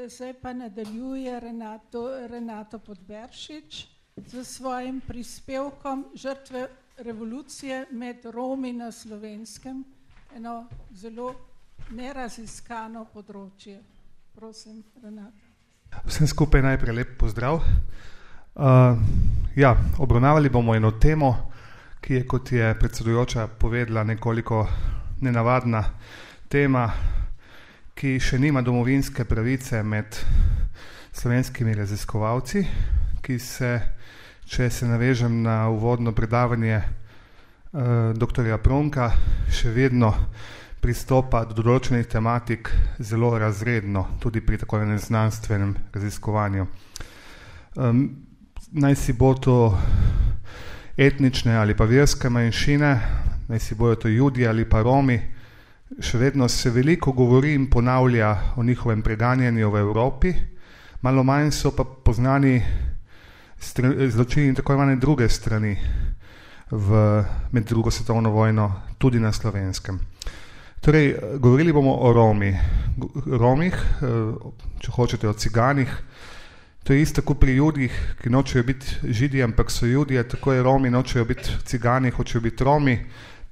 zdaj pa nadaljuje Renato Podberšič z svojim prispevkom Žrtve revolucije med Romi na Slovenskem, eno zelo neraziskano področje. Prosim, Renata. Vsem skupaj najprej lep pozdrav. Obravnavali bomo eno temo, ki je, kot je predsedujoča povedala, nekoliko nenavadna tema, ki še nima domovinske pravice med slovenskimi raziskovalci, ki se, če se navežem na uvodno predavanje doktorja Pronka, še vedno pristopa do določenih tematik zelo razredno, tudi pri tako enem znanstvenem raziskovanju. Naj si bo to etnične ali pa verske manjšine, naj si bojo to Judi ali pa Romi, še vedno se veliko govori in ponavlja o njihovem preganjanju v Evropi, malo manj so pa poznani zločini tako imenovane druge strani med drugo svetovno vojno, tudi na Slovenskem. Torej, govorili bomo o Romih, če hočete o ciganih. To je isto kot pri Judih, ki nočejo biti Židi, ampak so Judije, tako je Romi nočejo biti cigani, hočejo biti Romi.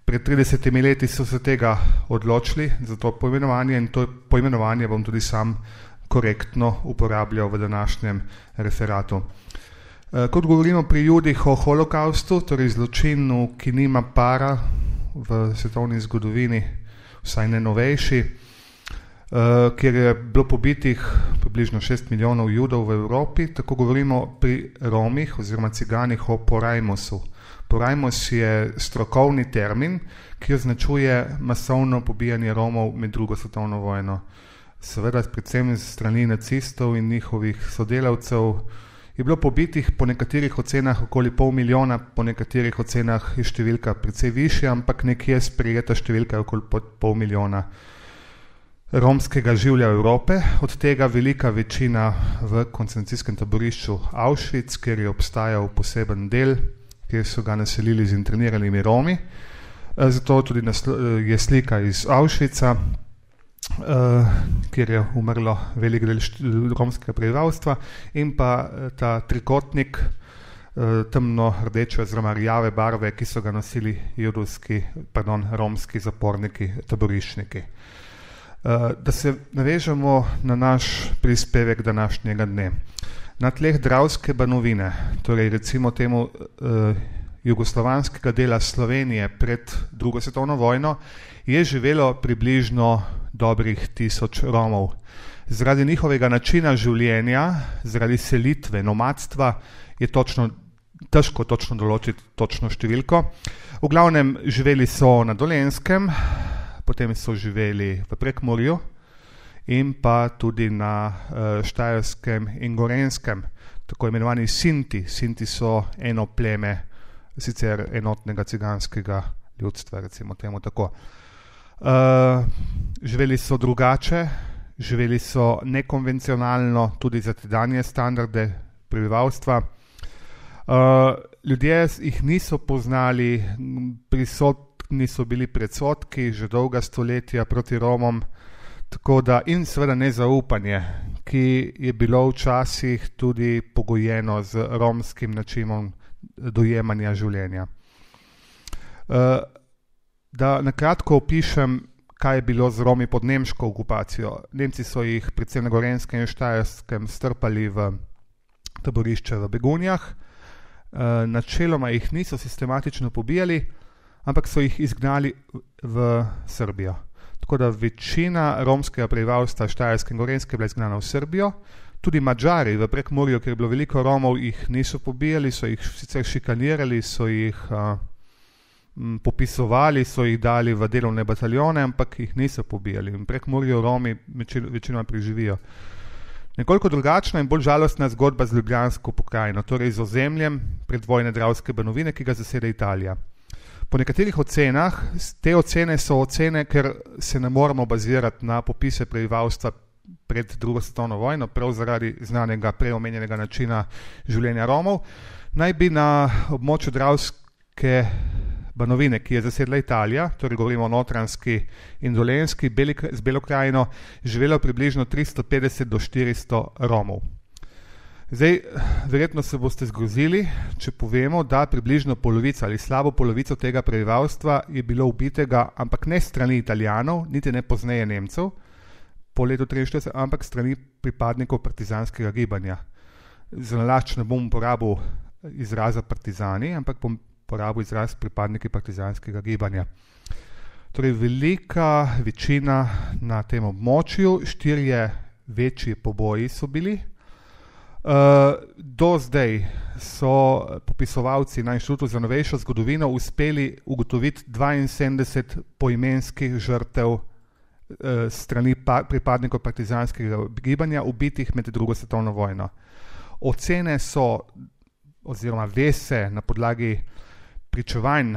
Pred 30 leti so se tega odločili za to poimenovanje in to poimenovanje bom tudi sam korektno uporabljal v današnjem referatu. Kot govorimo pri Judih o holokaustu, torej zločinu, ki nima para v svetovni zgodovini, vsaj ne novejši, kjer je bilo pobitih približno 6 milijonov Judov v Evropi, tako govorimo pri Romih oziroma ciganih o porajmosu. Porajmos je strokovni termin, ki označuje masovno pobijanje Romov med drugo svetovno vojno. Seveda, predvsem z strani nacistov in njihovih sodelavcev je bilo pobitih po nekaterih ocenah okoli 500 000, po nekaterih ocenah je številka precej višja, ampak nekje sprejeta številka je okoli 500 000 romskega življa Evrope, od tega velika večina v koncentracijskem taborišču Auschwitz, kjer je obstajal poseben del, kjer so ga naselili z interniranimi Romi. Zato tudi je slika iz Auschwitza, kjer je umrlo velik del romskega prebivalstva, in pa ta trikotnik temno rdeče oziroma rjave barve, ki so ga nosili romski zaporniki, taboriščniki. Da se navežemo na naš prispevek današnjega dne. Na tleh Dravske banovine, torej recimo temu jugoslovanskega dela Slovenije pred drugo svetovno vojno, je živelo približno dobrih 1000 Romov. Zaradi njihovega načina življenja, zaradi selitve, nomadstva, je težko točno določiti točno številko. V glavnem živeli so na Dolenjskem, potem so živeli v Prekmurju in pa tudi na Štajerskem in Gorenjskem, tako imenovani Sinti. Sinti so eno pleme sicer enotnega ciganskega ljudstva, recimo temu tako. Živeli so drugače, živeli so nekonvencionalno tudi za tedanje standarde prebivalstva. Ljudje jih niso poznali, prisotni so bili predsodki že dolga stoletja proti Romom, tako da in seveda nezaupanje, ki je bilo včasih tudi pogojeno z romskim načinom dojemanja življenja. Da nakratko opišem, kaj je bilo z Romi pod nemško okupacijo. Nemci so jih predvsem na Gorenjskem in Štajerskem strpali v taborišče v Begunjah. Načeloma jih niso sistematično pobijali, ampak so jih izgnali v Srbijo. Tako da večina romskega prebivalstva Štajerske in Gorenjske je bila izgnana v Srbijo. Tudi Madžari v Prekmurju, kjer je bilo veliko Romov, jih niso pobijali, so jih sicer šikanirali, so jih popisovali, so jih dali v delovne bataljone, ampak jih niso pobijali. V Prekmurju Romi večinoma preživijo. Nekoliko drugačna in bolj žalostna zgodba z Ljubljansko pokrajino, torej z ozemljem predvojne Dravske banovine, ki ga zaseda Italija. Po nekaterih ocenah, te ocene so ocene, ker se ne moramo bazirati na popise prebivalstva pred drugo svetovno vojno, prav zaradi znanega preomenjenega načina življenja Romov, naj bi na območju Dravske Banovine, ki je zasedla Italija, torej govorimo o Notranjski in Dolenjski, z Belo krajino, živelo približno 350 do 400 Romov. Zdaj, verjetno se boste zgrozili, če povemo, da približno polovica ali slabo polovico tega prebivalstva je bilo ubitega, ampak ne strani Italijanov, niti ne pozneje Nemcev, po letu 1943, ampak strani pripadnikov partizanskega gibanja. Za nalašč ne bom uporabil izraza partizani, ampak bom uporabil izraz pripadniki partizanskega gibanja. Torej, velika večina na tem območju, 4 večji poboji so bili. Do zdaj so popisovalci na Inštitutu za novejšo zgodovino uspeli ugotoviti 72 poimenskih žrtev strani pripadnikov partizanskega gibanja, ubitih med drugo svetovno vojno. Ocene so, oziroma ve se na podlagi pričevanj,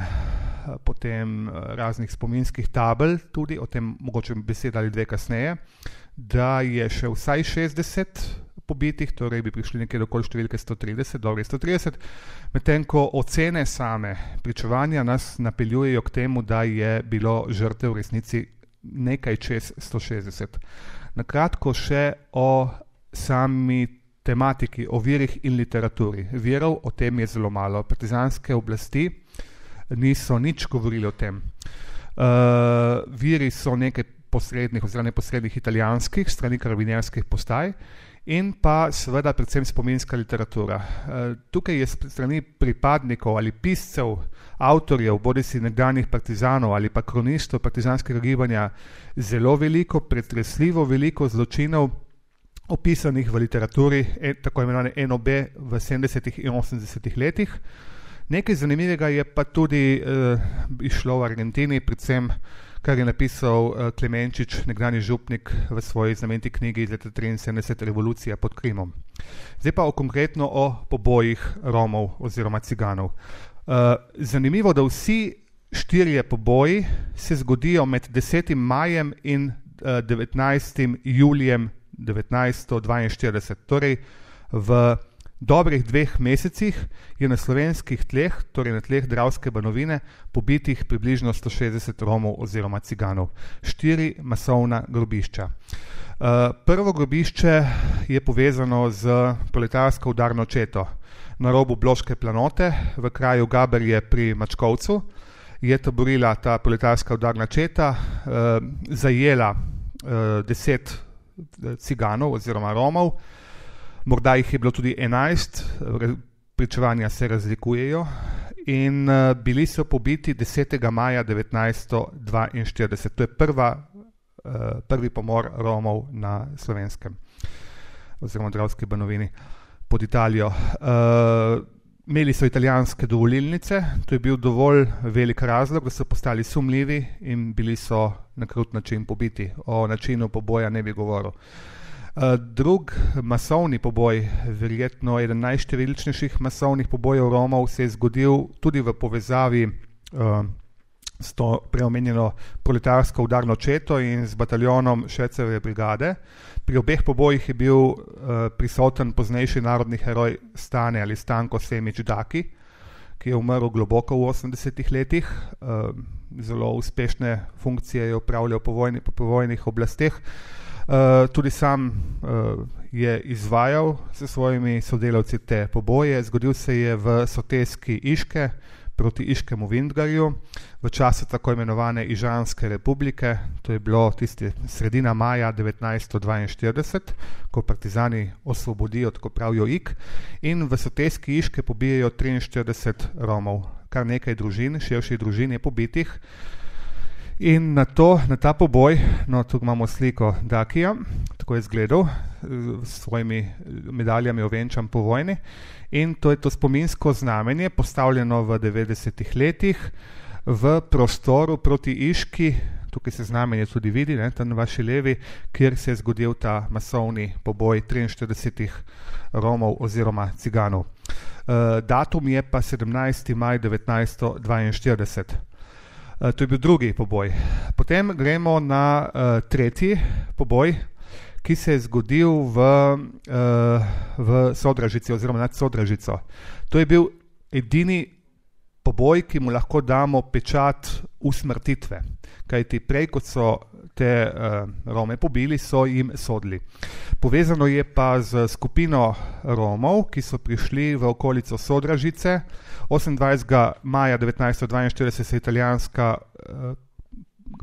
potem raznih spominskih tabel, tudi o tem mogoče beseda ali dve kasneje, da je še vsaj 60 pobitih, torej bi prišli nekje do okoli številke 130, medtem ko ocene same pričevanja nas napeljujejo k temu, da je bilo žrtev v resnici nekaj čez 160. Na kratko še o sami tematiki, o virih in literaturi. Virov o tem je zelo malo. Partizanske oblasti niso nič govorili o tem. Viri so nekaj posrednih oziroma neposrednih italijanskih, strani karabinerskih postaj, in pa seveda predvsem spominska literatura. Tukaj je strani pripadnikov ali piscev, avtorjev, bodisi nekdanjih partizanov ali pa kronistov partizanskega gibanja zelo veliko, pretresljivo veliko zločinov opisanih v literaturi, tako imenovane NOB v 70. in 80. letih. Nekaj zanimivega je pa tudi išlo v Argentini, predvsem kar je napisal Klemenčič, nekdanji župnik, v svoji znameniti knjigi iz leta 73, Revolucija pod Krimom. Zdaj pa konkretno o pobojih Romov oziroma Ciganov. Zanimivo, da vsi 4 poboji se zgodijo med 10. majem in 19. julijem 1942. Torej v dobrih 2 mesecih je na slovenskih tleh, torej na tleh Dravske Banovine, pobitih približno 160 Romov oziroma Ciganov. 4 masovna grobišča. Prvo grobišče je povezano z proletarsko udarno četo. Na robu Bloške planote, v kraju Gaberje pri Mačkovcu, je taborila ta proletarska udarna četa, zajela 10 Ciganov oziroma Romov, morda jih je bilo tudi 11, pričevanja se razlikujejo, in bili so pobiti 10. maja 1942. To je prvi pomor Romov na Slovenskem oziroma Dravski Banovini pod Italijo. Imeli so italijanske dovolilnice, to je bil dovolj velik razlog, da so postali sumljivi in bili so na krut način pobiti. O načinu poboja ne bi govoril. Drug masovni poboj, verjetno eden najštevilčnejših masovnih pobojev Romov, se je zgodil tudi v povezavi s to preomenjeno proletarsko udarno četo in z bataljonom Šeceve brigade. Pri obeh pobojih je bil prisoten poznejši narodni heroj Stane ali Stanko Semič Daki, ki je umrl globoko v 80. letih. Zelo uspešne funkcije je opravljal po povojnih oblasteh. Tudi sam je izvajal s svojimi sodelavci te poboje. Zgodil se je v soteski Iške proti Iškemu Vintgarju v času tako imenovane Ižanske republike. To je bilo tisti sredina maja 1942, ko partizani osvobodijo, tako pravijo Ik, in v soteski Iške pobijajo 43 Romov. Kar nekaj družin, širših družin je pobitih. In na ta poboj, no, tukaj imamo sliko Dakija, tako je izgledal, s svojimi medaljami ovenčan po vojni, in to je to spominsko znamenje, postavljeno v 90. letih v prostoru proti Iški, tukaj se znamenje tudi vidi, ne, tam na vaši levi, kjer se je zgodil ta masovni poboj 43 Romov oziroma Ciganov. Datum je pa 17. maj 1942. To je bil drugi poboj. Potem gremo na tretji poboj, ki se je zgodil v Sodražici oziroma nad Sodražico. To je bil edini poboj, ki mu lahko damo pečat usmrtitve. Kajti prej, kot so te Rome pobili, so jim sodili. Povezano je pa z skupino Romov, ki so prišli v okolico Sodražice. 28. maja 1942 se italijanska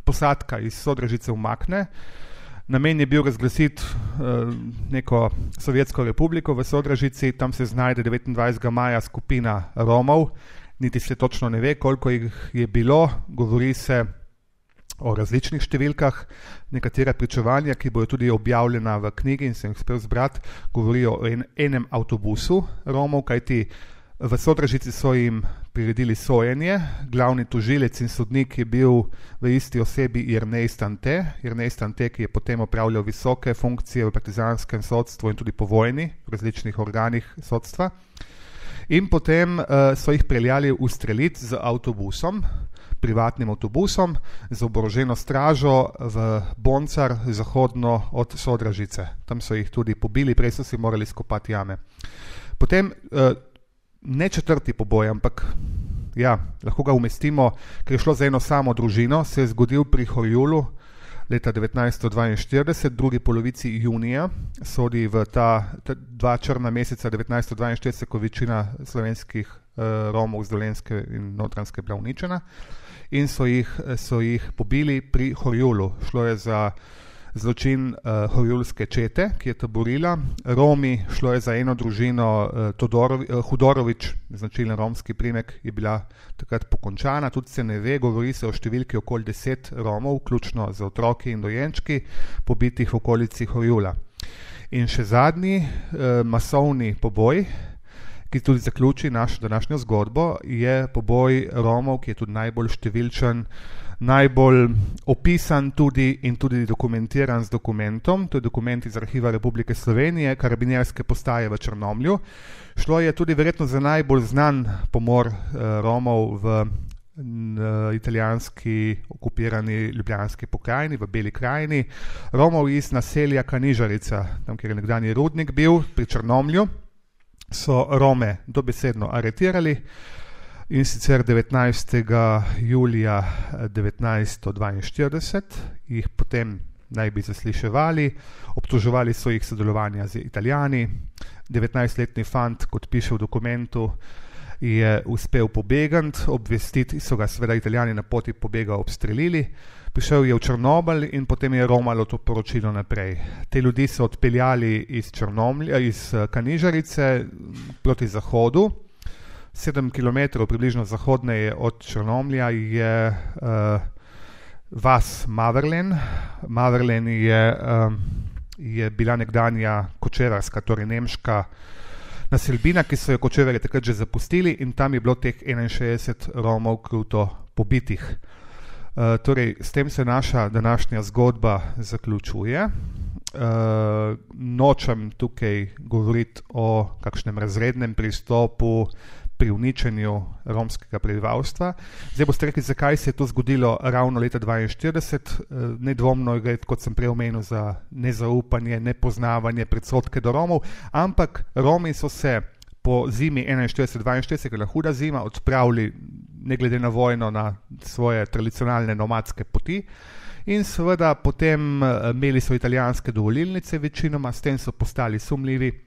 posadka iz Sodražice umakne. Namen je bil razglasiti neko sovjetsko republiko v Sodražici, tam se znajde 29. maja skupina Romov, niti se točno ne ve, koliko jih je bilo, govori se o različnih številkah, nekatera pričevanja, ki bojo tudi objavljena v knjigi in sem jih uspel zbrati, govorijo o enem avtobusu Romov, kajti v Sodražici so jim priredili sojenje, glavni tožilec in sodnik je bil v isti osebi Jernej Stante, ki je potem opravljal visoke funkcije v partizanskem sodstvu in tudi po vojni v različnih organih sodstva. In potem so jih peljali ustreliti z avtobusom, privatnim avtobusom, z oboroženo stražo v Boncar, zahodno od Sodražice. Tam so jih tudi pobili, prej so si morali skopati jame. Potem ne četrti poboj, ampak ja, lahko ga umestimo, ker je šlo za eno samo družino, se je zgodil pri Horjulu leta 1942, drugi polovici junija, sodi v ta dva črna meseca 1942, ko večina slovenskih Romov z Dolenjske in Notranjske bila uničena, in so jih pobili pri Horjulu. Šlo je za zločin horjulske čete, ki je taborila. Romi, šlo je za eno družino, Hudorovič, značilen romski primek, je bila takrat pokončana, tudi se ne ve, govori se o številki okoli 10 Romov, vključno z otroki in dojenčki, pobitih v okolici Horjula. In še zadnji masovni poboj, ki tudi zaključi našo današnjo zgodbo, je poboj Romov, ki je tudi najbolj številčen, najbolj opisan tudi in tudi dokumentiran z dokumentom. To je dokument iz Arhiva Republike Slovenije, karabinjerske postaje v Črnomlju. Šlo je tudi verjetno za najbolj znan pomor Romov v italijanski okupirani ljubljanski pokrajini, v Beli krajini. Romov iz naselja Kanižarica, tam kjer je nekdanji rudnik bil, pri Črnomlju, so Rome dobesedno aretirali. In sicer 19. julija 1942 jih potem naj bi zasliševali, obtoževali so jih sodelovanja z Italijani. 19-letni fant, kot piše v dokumentu, je uspel pobegati, obvestiti so ga seveda Italijani na poti pobega obstrelili. Prišel je v Črnomelj in potem je romalo to poročilo naprej. Te ljudi so odpeljali iz Kanižarice proti zahodu. 7 km približno zahodneje od Črnomlja je vas Maverlen. Maverlen je bila nekdanja kočevarska, torej nemška naselbina, ki so jo kočevarji takrat že zapustili, in tam je bilo teh 61 Romov kruto pobitih. Torej, s tem se naša današnja zgodba zaključuje. Nočem tukaj govoriti o kakšnem razrednem pristopu pri uničenju romskega prebivalstva. Zdaj boste rekli, zakaj se je to zgodilo ravno leta 1942. Nedvomno gre, kot sem prej omenil, za nezaupanje, nepoznavanje, predsodke do Romov, ampak Romi so se po zimi 1941-1942, ker je huda zima, odpravili ne glede na vojno na svoje tradicionalne nomadske poti in seveda potem imeli so italijanske dovolilnice večinoma, s tem so postali sumljivi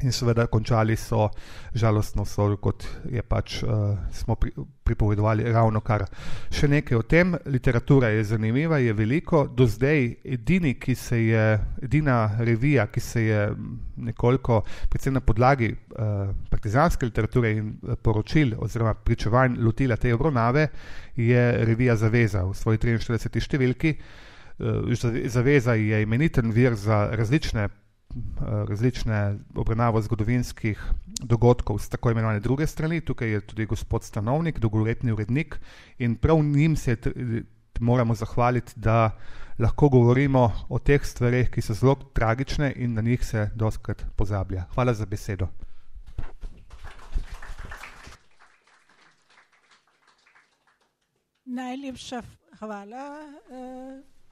in seveda končali so žalostno sodo, kot je pač smo pripovedovali ravno kar. Še nekaj o tem, literatura je zanimiva, je veliko. Do zdaj edina revija, ki se je nekoliko, predvsem na podlagi partizanske literature in poročil oziroma pričevanj lotila te obravnave, je revija Zaveza v svoji 43. številki. Zaveza je imeniten vir za različne obravnavo zgodovinskih dogodkov z tako imenovane druge strani. Tukaj je tudi gospod Stanovnik, dolgoletni urednik, in prav njim se moramo zahvaliti, da lahko govorimo o teh stvareh, ki so zelo tragične in na njih se dostikrat pozablja. Hvala za besedo. Najlepša hvala,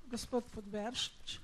gospod Podberšič.